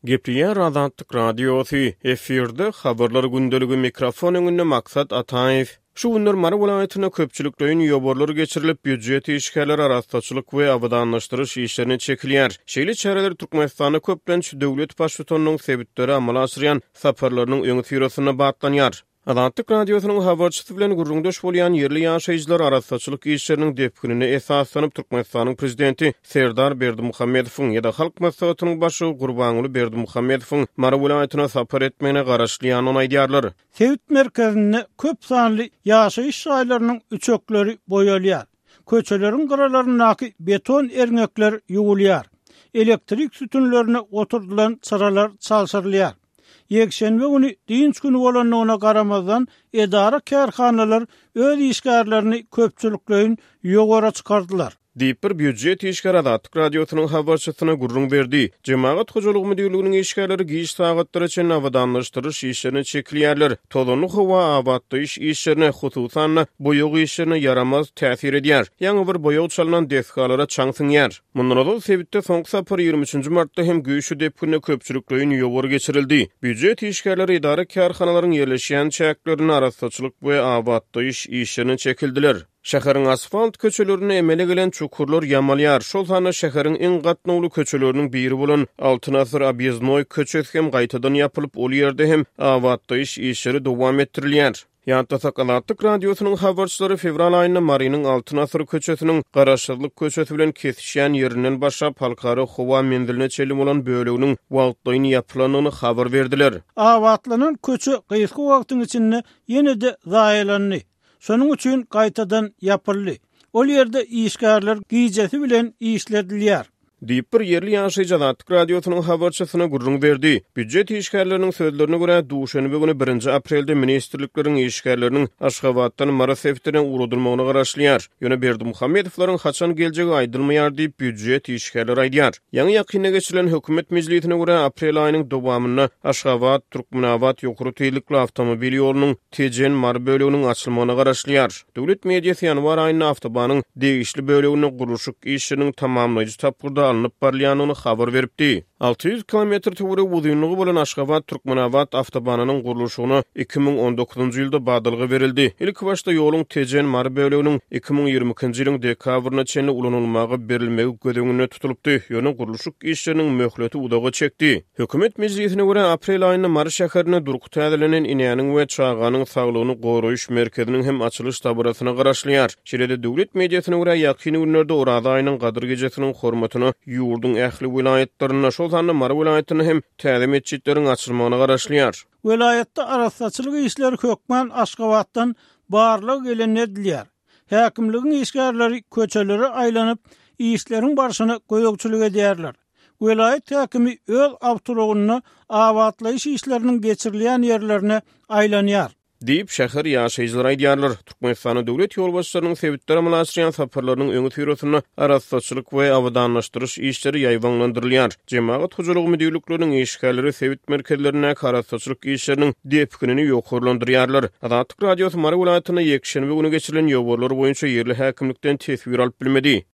Gepleýär Azatlyk Radiosy, efirde Habarlar gündeligi, mikrofon öňünde Maksat Ataýew. Şu günler Mary welaýatynda köpçülikleýin ýowarlar geçirilip, býujet işgärleri arassaçylyk we abadanlaşdyryş işlerine çekilýär. Şeýle çäreler Türkmenistanda köplenç döwlet baştutanynyň sebitlere amala aşyrýan saparlarynyň öňüsyrasynda batlanýar. Azatlyk Radiosynyň habarçysy bilen gürrüňdeş bolýan ýerli ýaşaýjylar arassaçylyk işleriniň depginine esaslanyp, Türkmenistanyň prezidenti Serdar Berdimuhamedowyň ýa-da Halk Maslahatynyň başlygy Gurbanguly Berdimuhamedowyň Mary welaýatyna sapar etmegine garaşylýandygyny aýdýarlar. Sebit merkezinde köp sanly ýaşaýyş jaýlarynyň üçekleri boýalýar. Köçeleriň gyralaryndaky beton erňekler ýuwulýar. Elektrik sütünlerine oturdylan çyralar çalşyrylýar. Ýekşenbe güni dynç güni bolandygyna garamazdan, edara-kärhanalar öz işgärlerini köpçülikleýin ýowara çykardylar. Diýip, bir býujet işgäri Azatlyk Radiosynyň habarçysyna gürrüň berdi. Jemagat hojalygy müdirliginiň işgärleri giç sagatlara çenli abadanlaşdyryş işlerine çekilýärler. Tozanly howa abatlaýyş işlerine, hususan-da, boýag işlerine ýaramaz täsir edýär. Ýaňy bir boýag çalnan desgalara çaň siňýär. Mundan ozal sebitde soňky sapar 23 nji martda hem güýçli depginde köpçülikleýin ýowar geçirildi. Býujet işgärleri edara-kärhanalaryň ýerleşýän çäklerinde arassaçylyk we abatlaýyş işlerine çekildiler. Şäheriň asfalt köçelerinde emele gelen çukurlar ýamalýar, şol sanda şäheriň iň gatnawly köçeleriniň biri bolan Altyn asyr obýezdnoý köçesi hem gaýtadan ýapylyp, ol ýerde hem abatlaýyş işleri dowam etdirilýär. Ýatlasak, Azatlyk Radiosynyň habarçylary fewral aýynda Marynyň Altyn asyr köçesiniň Garaşsyzlyk köçesi bilen kesişýän ýerinden başlap Halkara howa menziline çenli bolan böleginiň wagtlaýyn ýapylandygyny habar berdiler. Abatlanan köçe gysga wagtyň içinde ýene-de zaýalandy. Şonuň üçin gaýtadan ýapyldy. Ol ýerde işgärler gijesi bilen işledilýär. Diýip, bir ýerli ýaşaýjy Azatlyk Radiosynyň habarçysyna gürrüň berdi. Býujet işgärleriniň sözlerine görä, duşenbe güni birinji aprelde ministrlikleriň işgärleriniň Aşgabatdan Mary sebitine ugradylmagyna garaşylýar. Ýöne Berdimuhamedowlaryň haçan geljegi aýdylmaýar diýip, býujet işgärleri aýdýar. Ýaňy-ýakynda geçirilen hökümet mejlisine görä, aprel aýynyň dowamynda Aşgabat, Türkmenabat ýokary tizlikli awtomobil ýolunyň Tejen, Mary böleginiň açylmagyna garaşylýar. Döwlet mediasy ýanwar aýynda awtobanyň degişli böleginde gurluşyk işleriniň tamamlaýjy tapgyrda alnyp barylýandygyny habar beripdi. 600 kilometr töweregi uzynlygy bolan Aşgabat, Türkmenabat awtobanynyň gurluşygyna 2019-njy ýylda badalga berildi. Ilkibaşda ýoluň Tejen, Mary böleginiň 2022-nji ýylyň dekabryna çenli ulanylmaga berilmegi göz öňünde tutulypdy, ýöne gurluşyk işleriniň möhleti uzaga çekdi. Hökümet mejlisine görä, aprel aýynda Mary şäherinde durky täzelenen Enäniň we çaganyň saglygyny goraýyş merkeziniň hem açylyş dabarasyna garaşylýar. Şeýle-de, döwlet mediasyna görä, ýakyn günlerde Oraza aýynyň Gadyr gijesiniň hormatyna ýurduň ähli welaýatlarynda, şol sanda Mary welaýatynda hem täze metjitleriň açylmagyna garaşylýar. Welaýatda arassaçylyk işleri hökman Aşgabatdan barlag gelende edilýär. Häkimligiň işgärleri köçelere aýlanyp, işleriň barşyna gözegçilik edýärler. Welaýat häkimi öz awtoulagynda abatlaýyş işleriniň geçirilýän ýerlerine aýlanýar. Diýip, şäher ýaşaýjylary aýdýarlar. Türkmenistanda döwlet ýolbaşçylarynyň sebitlere amala aşyrýan saparlarynyň öňüsyrasynda arassaçylyk we abadanlaşdyryş işleri ýaýbaňlandyrylýar. Jemagat hojalygy müdirlikleriniň işgärleri sebit merkezlerindäki arassaçylyk işleriniň depginini ýokarlandyrýarlar. Azatlyk Radiosy Mary welaýatynda ýekşenbe güni geçirilen ýowarlar boýunça ýerli häkimlikden teswir alyp bilmedi.